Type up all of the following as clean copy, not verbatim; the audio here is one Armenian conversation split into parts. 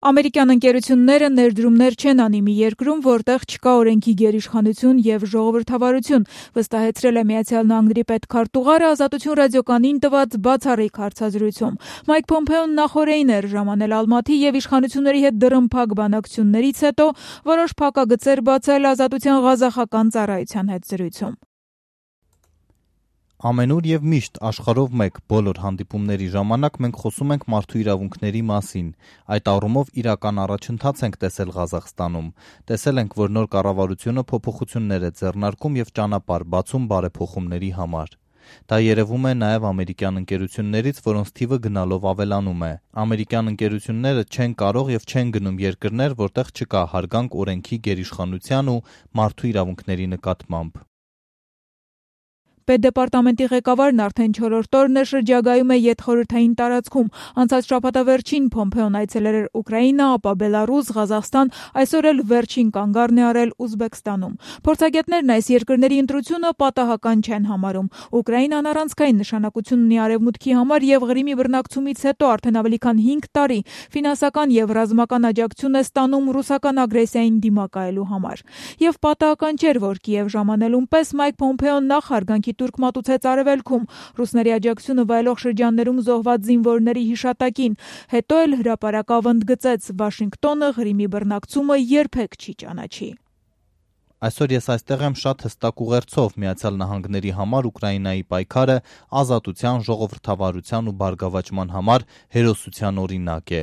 Ամերիկյան ընկերությունները ներդրումներ չեն անի մի երկրում, որտեղ չկա օրենքի գերիշխանություն եւ ժողովրդավարություն, վստահեցրել է Միացյալ Նահանգների պետքարտուղարը Ազատություն ռադիոկայանին տված բացառիկ հարցազրույցում։ Մայք Փոմփեոն նախօրեին էր ժամանել Ալմաթի եւ իշխանությունների հետ դռնփակ բանակցություններից հետո որոշ փակագծեր բացել Ազատության ղազախական ծառայության հետ զրույցում։ Ամենուր եւ միշտ աշխարհով մեկ բոլոր հանդիպումների ժամանակ մենք խոսում ենք մարդու իրավունքների մասին։ Այդ առումով իրական առաջընթաց ենք տեսել Ղազախստանում։ Տեսել ենք, որ նոր կառավարությունը փոփոխություններ է ձեռնարկում եւ ճանապարհ բացում բարեփոխումների համար։ Դա երևում է նաև ամերիկյան ընկերություններից, որոնց թիվը գնալով ավելանում է։ Ամերիկյան ընկերությունները չեն կարող եւ չեն գնում երկրներ, որտեղ չկա հարգանք օրենքի գերիշխանության ու մարդու իրավունքների նկատմամբ։ Պետդեպարտամենտի ղեկավարն արդեն 4-րդ օրն է շրջագայում է յետխորհրդային տարածքում։ Անցած շաբաթավերջին Փոմփեոն այցելել էր Ուկրաինա, ապա Բելարուս, Ղազախստան, այսօր էլ վերջին կանգառն է արել Ուզբեկստանում։ Փորձագետներն այս երկրների ընտրությունը պատահական չեն համարում։ Ուկրաինան առանցքային նշանակություն ունի Արևմուտքի համար եւ Ղրիմի բռնակցումից հետո արդեն ավելի քան 5 տարի ֆինանսական եւ ռազմական աջակցություն է ստանում ռուսական ագրեսիային դիմակայելու համար։ Եվ պատահական չէր, որ Կիև ժամանելուն պես Մայք Փոմփեոն նախ հարգանքի տուրք մատուցեց Արևելքում, ռուսների աջակցությունը վայելող շրջաններում զոհված զինվորների հիշատակին, հետո էլ հրապարակավ ընդգծեց Վաշինգտոնը Ղրիմի բռնակցումը երբեք չի ճանաչի։ Այսօր ես այստեղ եմ շատ հստակ ուղերձով Միացյալ Նահանգների համար Ուկրաինայի պայքարը ազատության, ժողովրդավարության ու բարգավաճման համար հերոսության օրինակ է։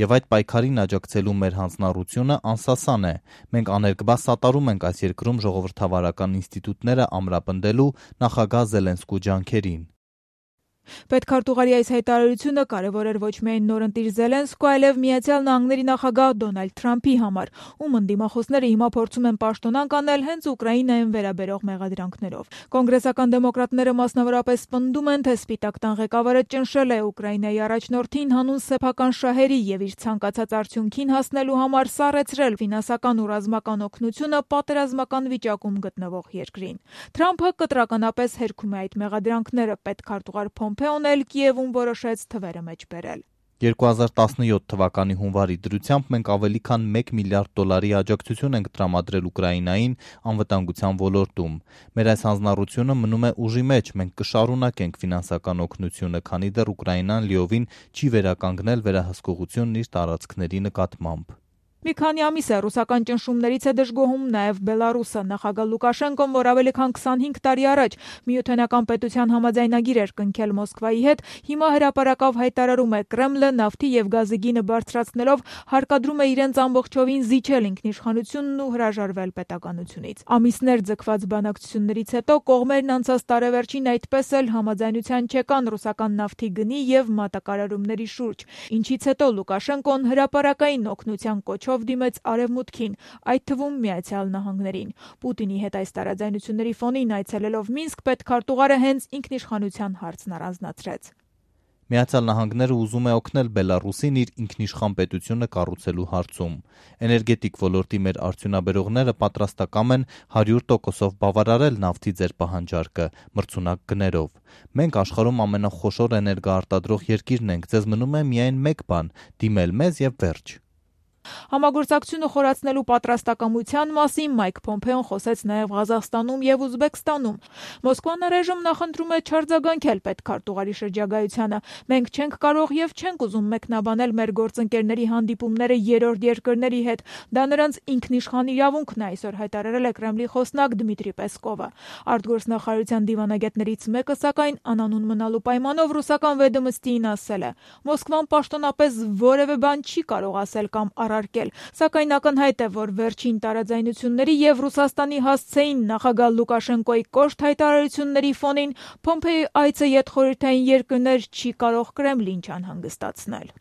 Եվ այդ պայքարին աջակցելու մեր հանձնառությունը անսասան է։ Մենք աներկբա սատարում ենք այս երկրում ժողովրդավարական ինստիտուտները ամրապնդելու նախագահ Զելենսկու ջանքերին։ Պետքարտուղարի այս հայտարարությունը կարևոր էր ոչ միայն նորընտիր Զելենսկու, այլև Միացյալ Նահանգների նախագահ Դոնալդ Թրամփի համար, ում ընդդիմախոսները հիմա փորձում են պաշտոնանկ անել հենց Ուկրաինային վերաբերող մեղադրանքներով։ Կոնգրեսական դեմոկրատները մասնավորապես պնդում են, թե Սպիտակ տան ղեկավարը ճնշել է Ուկրաինայի առաջնորդին հանուն սեփական շահերի եւ իր ցանկացած արդյունքին հասնելու համար սառեցրել ֆինանսական ու ռազմական օգնությունը պատերազմական վիճակում գտնվող երկրին։ Թրամփը կտրականապես հերքում է այդ մեղադրանքները, պետքարտուղար Փոմփեոն էլ Կիևում որոշեց թվերը մեջ բերել։ 2017 թվականի հունվարի դրությամբ մենք ավելի քան $1 միլիարդ աջակցություն ենք տրամադրել Ուկրաինային անվտանգության ոլորտում։ Մեր այս հանձնառությունը մնում է ուժի մեջ, մենք կշարունակենք ֆինանսական օգնությունը, քանի դեռ Ուկրաինան լիովին չի վերականգնել վերահսկողությունն իր տարածքների նկատմամբ։ Մի քանի ամիս է ռուսական ճնշումներից է դժգոհում նաև Բելարուսը։ Նախագահ Լուկաշենկոն, որ ավելի քան 25 տարի առաջ միութենական պետության համաձայնագիր էր կնքել Մոսկվայի հետ, հիմա հրապարակավ հայտարարում է Կրեմլը նավթի եւ գազի գինը բարձրացնելով հարկադրում է իրենց ամբողջովին զիջել ինքնիշխանությունն ու հրաժարվել պետականությունից։ Ամիսներ ձգված բանակցություններից հետո կողմերն անցած տարեվերջին այդպես էլ համաձայնության չեկան ռուսական նավթի գնի եւ մատակարարումների շուրջ, ինչից հետո Լուկաշենկոն հրապարակային օգնության կոչով դիմեց Արևմուտքին, այդ թվում Միացյալ Նահանգներին։ Պուտինի հետ այս տարաձայնությունների ֆոնին այցելելով Մինսկ պետքարտուղարը հենց ինքնիշխանության հարցն առանձնացրեց։ Միացյալ Նահանգները ուզում է օգնել Բելարուսին իր ինքնիշխան պետությունը կառուցելու հարցում։ Էներգետիկ ոլորտի մեր արդյունաբերողները պատրաստակամ են 100%-ով բավարարել նավթի ձեր պահանջարկը մրցունակ գներով։ Մենք աշխարհում ամենախոշոր էներգոարտադրող երկիրն ենք, ձեզ մնում է միայն մեկ բան՝ դիմել մեզ եւ վերջ։ Համագործակցությունը խորացնելու պատրաստակամության մասին Մայք Փոմփեոն խոսեց նաև Ղազախստանում եւ Ուզբեկստանում։ Մոսկվան առայժմ նախընտրում է չարձագանքել պետքարտուղարի շրջագայությանը։ Մենք չենք կարող եւ չենք ուզում մեկնաբանել մեր գործընկերների հանդիպումները երրորդ երկրների հետ։ Դա նրանց ինքնիշխան իրավունքն է, այսօր հայտարարել է Կրեմլի խոսնակ Դմիտրի Պեսկովը։ Արտգործնախարարության դիվանագետներից մեկը, սակայն անանուն մնալու պայմանով ռուսական Վեդոմստիին ասել է. Մոսկվան պաշտոնապես որևէ բան չի կարող ասել կամ առարկել, սակայն ակնհայտ է, որ վերջին տարաձայնությունների եւ Ռուսաստանի հասցեին նախագահ Լուկաշենկոյի կոշտ հայտարարությունների ֆոնին Փոմփեոյի այցը յետխորհրդային երկրներ չի կարող Կրեմլին չանհանգստացնել։